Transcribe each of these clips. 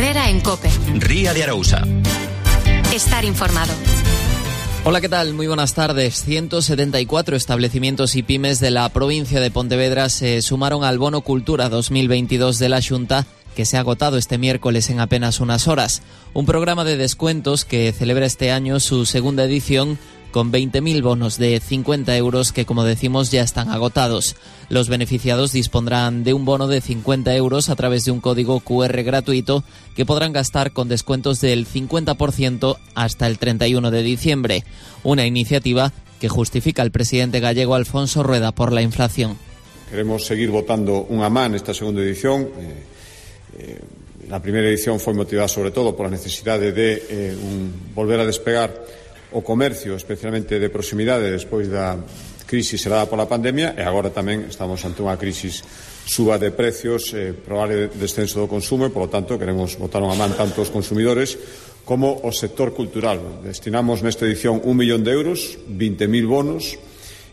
Herrera en COPE. Ría de Arousa. Estar informado. Hola, ¿qué tal? Muy buenas tardes. 174 establecimientos y pymes de la provincia de Pontevedra se sumaron al Bono Cultura 2022 de la Xunta, que se ha agotado este miércoles en apenas unas horas. Un programa de descuentos que celebra este año su segunda edición con 20.000 bonos de 50 euros que, como decimos, ya están agotados. Los beneficiados dispondrán de un bono de 50 euros a través de un código QR gratuito que podrán gastar con descuentos del 50% hasta el 31 de diciembre. Una iniciativa que justifica el presidente gallego Alfonso Rueda por la inflación. Queremos seguir votando unha man nesta segunda edición. La primeira edición foi motivada sobre todo por a necesidade de volver a despegar o comercio, especialmente de proximidade, despois da crisis xerada pola pandemia, e agora tamén estamos ante unha crisis suba de precios, probable descenso do consumo, e, polo tanto, queremos botar unha man tanto os consumidores como o sector cultural. Destinamos nesta edición 1 millón de euros, 20.000 bonos,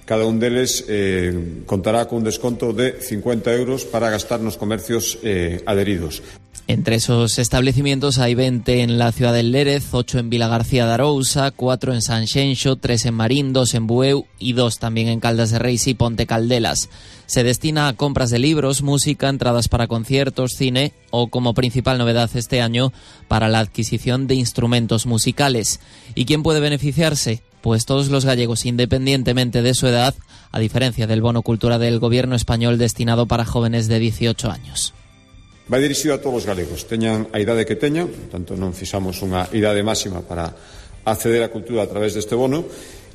cada un deles contará con un desconto de 50 euros para gastar nos comercios adheridos. Entre esos establecimientos hay 20 en la ciudad del Lérez, 8 en Vilagarcía de Arousa, 4 en Sanxenxo, 3 en Marín, 2 en Bueu y 2 también en Caldas de Reis y Ponte Caldelas. Se destina a compras de libros, música, entradas para conciertos, cine o, como principal novedad este año, para la adquisición de instrumentos musicales. ¿Y quién puede beneficiarse? Pues todos los gallegos, independientemente de su edad, a diferencia del bono cultura del gobierno español destinado para jóvenes de 18 años. Vai dirixido a todos os galegos, teñan a idade que teñan, tanto non fixamos unha idade máxima para acceder á cultura a través deste bono,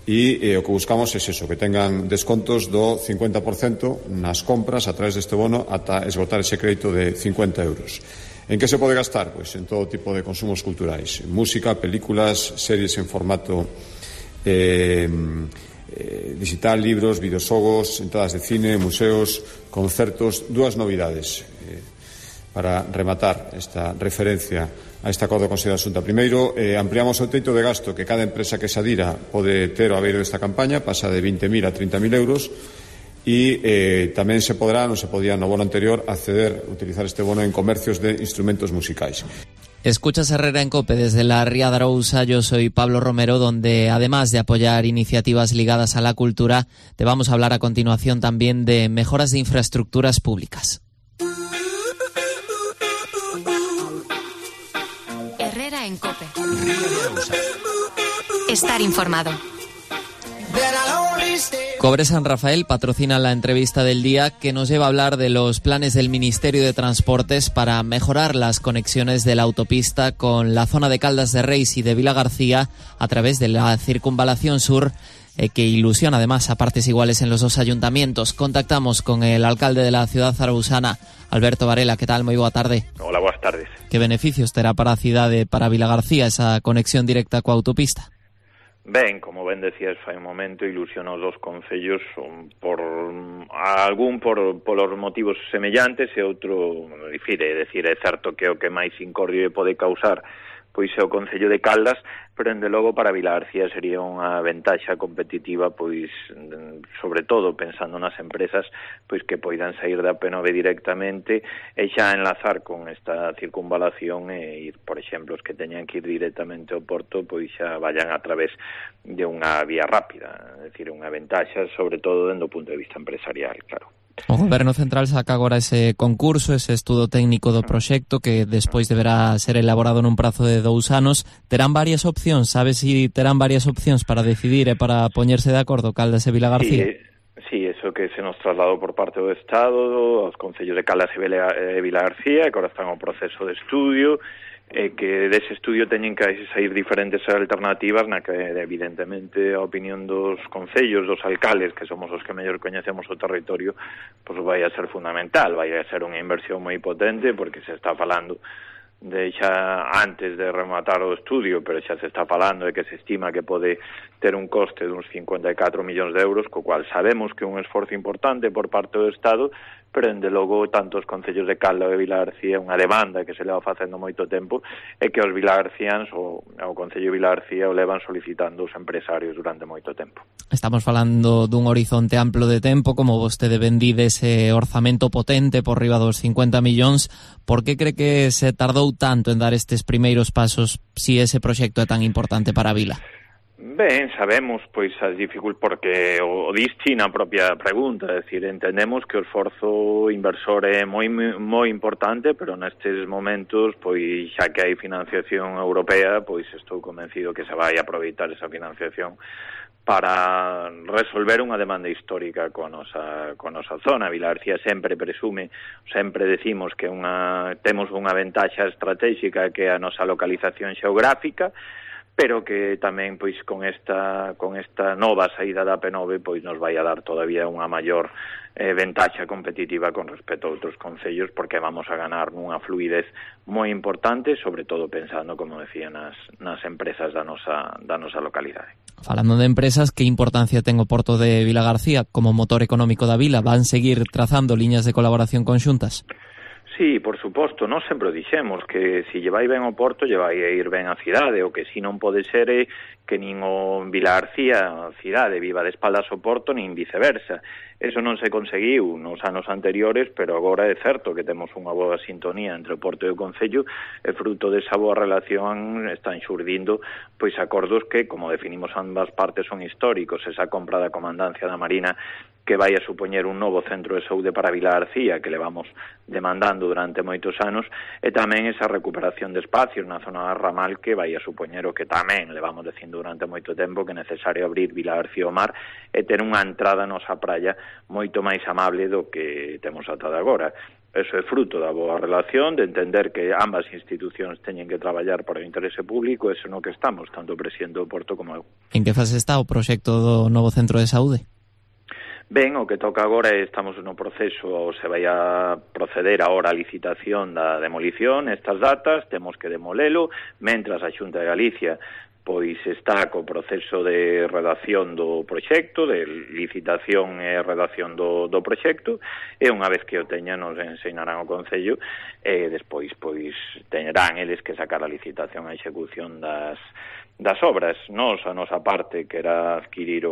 e o que buscamos é eso, que tengan descontos do 50% nas compras a través deste bono ata esgotar ese crédito de 50 euros. En que se pode gastar? Pois en todo tipo de consumos culturais, música, películas, series en formato digital, libros, videoxogos, entradas de cine, museos, concertos. Dúas novidades para rematar esta referencia a este acordo con a Xunta. Primeiro, ampliamos o teito de gasto que cada empresa que se adira pode ter ao abeiro desta campaña, pasa de 20.000 a 30.000 euros, e tamén se podrá, non se podía no bono anterior, acceder, utilizar este bono en comercios de instrumentos musicais. Escuchas Herrera en COPE desde la Ría de Arousa. Yo soy Pablo Romero, donde además de apoyar iniciativas ligadas a la cultura, te vamos a hablar a continuación también de mejoras de infraestructuras públicas. Herrera en COPE. Estar informado. Cobre San Rafael patrocina la entrevista del día que nos lleva a hablar de los planes del Ministerio de Transportes para mejorar las conexiones de la autopista con la zona de Caldas de Reis y de Vilagarcía a través de la circunvalación sur, que ilusiona además a partes iguales en los dos ayuntamientos. Contactamos con el alcalde de la ciudad zaragousana, Alberto Varela. ¿Qué tal? Muy boa tarde. Hola, boas tardes. Que beneficios terá para a cidade, para Vilagarcía, esa conexión directa coa autopista? Ben, como ben decías fai un momento, ilusiona os dos concellos polos motivos semellantes e outro difire, é dicir, é certo que o que máis incordio pode causar pois é o Concello de Caldas, pero dende logo para Vilagarcía sería unha ventaxa competitiva, pois sobre todo pensando nas empresas pois que poidan sair da P9 directamente e xa enlazar con esta circunvalación e ir, por exemplo, os que teñan que ir directamente ao Porto, pois xa vayan a través de unha vía rápida, é dicir, unha ventaxa sobre todo dende o punto de vista empresarial, claro. O Goberno Central saca agora ese concurso, ese estudo técnico do proxecto que despois deberá ser elaborado nun prazo de 2 anos. Terán varias opcións, sabes se terán varias opcións para decidir e para poñerse de acordo Caldas e Vilagarcía? Sí, eso que se nos trasladou por parte do Estado aos concellos de Caldas e Vilagarcía, que agora están en proceso de estudio, que dese estudio teñen que sair diferentes alternativas na que evidentemente a opinión dos concellos, dos alcaldes, que somos os que mellor coñecemos o territorio, pois vai a ser fundamental, vai a ser unha inversión moi potente, porque se está falando de xa antes de rematar o estudio, pero xa se está falando de que se estima que pode ter un coste de uns 54 millóns de euros, co cual sabemos que é un esforzo importante por parte do Estado, pero dende logo tanto os concellos de Calda e Vilagarcía, unha demanda que se leva facendo moito tempo, é que os vilagarcíans o Concello de Vilagarcía o levan solicitando os empresarios durante moito tempo. Estamos falando dun horizonte amplo de tempo, como vostede vendide ese orzamento potente por riba dos 50 millóns. Por que cree que se tardou tanto en dar estes primeiros pasos si ese proxecto é tan importante para a vila? Ben, sabemos, pois, as dificultades, porque o dischi na propia pregunta, é dicir, entendemos que o esforzo inversor é moi importante, pero nestes momentos, pois, xa que hai financiación europea, pois, estou convencido que se vai aproveitar esa financiación para resolver unha demanda histórica coa nosa zona. Vilagarcía sempre presume, sempre decimos que temos unha ventaxa estratégica que é a nosa localización xeográfica, pero que tamén pois con esta nova saída da P9 pois nos vai a dar todavía unha maior ventaxa competitiva con respecto a outros concellos, porque vamos a ganar nunha fluidez moi importante, sobre todo pensando, como decía, nas empresas da nosa localidade. Falando de empresas, que importancia ten o Porto de Vilagarcía como motor económico da vila? Van seguir trazando liñas de colaboración conxuntas? Sí, por suposto, nós sempre dixemos que se lle vai ben o Porto, lle vai a ir ben a cidade, o que si non pode ser é que nin o Vilagarcía, a cidade, viva de espaldas ao Porto, nin viceversa. Eso non se conseguiu nos anos anteriores, pero agora é certo que temos unha boa sintonía entre o Porto e o Concello, e fruto desa boa relación están xurdindo pois acordos que, como definimos ambas partes, son históricos. Esa compra da Comandancia da Marina, que vai a supoñer un novo centro de saúde para Vilagarcía, que levamos demandando durante moitos anos, e tamén esa recuperación de espacios na zona da Ramal, que vai a supoñer o que tamén levamos dicindo durante moito tempo, que é necesario abrir Vilagarcía ao mar e ter unha entrada na nosa praia moito máis amable do que temos ata de agora. Eso é fruto da boa relación, de entender que ambas institucións teñen que traballar para o interese público, eso no que estamos, tanto o presidente do Porto como eu. En que fase está o proxecto do novo centro de saúde? Ben, o que toca agora é, estamos no proceso, se vai a proceder agora a licitación da demolición, estas datas, temos que demolelo, mentras a Xunta de Galicia pois está co proceso de redacción do proxecto, de licitación e redacción do proxecto, e unha vez que o teñan nos ensinarán o Concello, e despois pois teñerán eles que sacar a licitación a execución das obras. Nos, a nosa parte, que era adquirir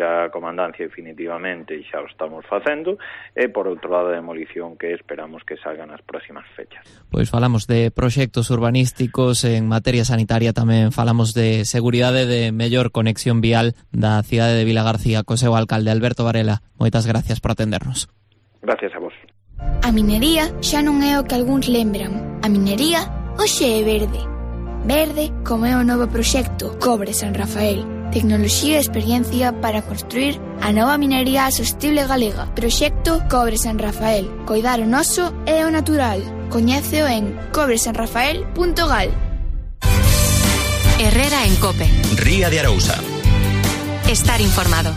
a comandancia definitivamente, e xa o estamos facendo, e por outro lado a demolición, que esperamos que salgan nas próximas fechas. Pois falamos de proxectos urbanísticos, en materia sanitaria tamén falamos de seguridade, de mellor conexión vial da cidade de Vilagarcía. Co seu alcalde Alberto Varela, moitas gracias por atendernos. Gracias a vos. A minería xa non é o que algúns lembran. A minería hoxe é verde. Verde como é o novo proxecto Cobre San Rafael. Tecnoloxía e experiencia para construir a nova minería sostible galega. Proxecto Cobre San Rafael. Coidar o noso e o natural. Coñéceo en cobresanrafael.gal. Herrera en COPE. Ría de Arousa. Estar informado.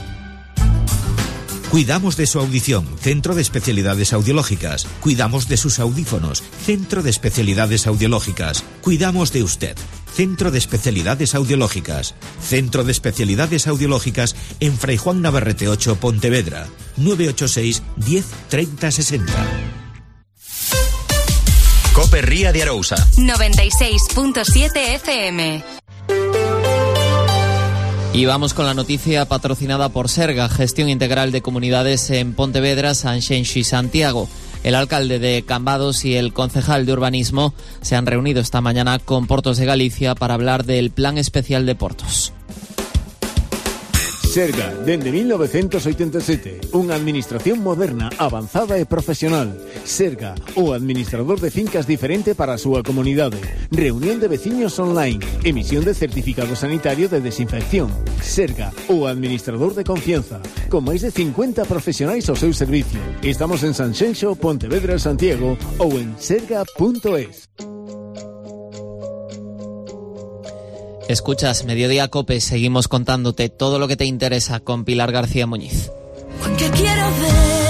Cuidamos de su audición, Centro de Especialidades Audiológicas. Cuidamos de sus audífonos, Centro de Especialidades Audiológicas. Cuidamos de usted, Centro de Especialidades Audiológicas. Centro de Especialidades Audiológicas en Fray Juan Navarrete 8, Pontevedra. 986 10 30 60. COPE Ría de Arousa. 96.7 FM. Y vamos con la noticia patrocinada por Serga, Gestión Integral de Comunidades en Pontevedra, Sanxenxo y Santiago. El alcalde de Cambados y el concejal de Urbanismo se han reunido esta mañana con Portos de Galicia para hablar del Plan Especial de Portos. Serga, dende 1987, unha administración moderna, avanzada e profesional. Serga, o administrador de fincas diferente para a súa comunidade. Reunión de veciños online, emisión de certificado sanitario de desinfección. Serga, o administrador de confianza, con máis de 50 profesionais ao seu servicio. Estamos en Sanxenxo, Pontevedra, Santiago ou en serga.es. Escuchas Mediodía COPE, seguimos contándote todo lo que te interesa con Pilar García Muñiz. Porque quiero ver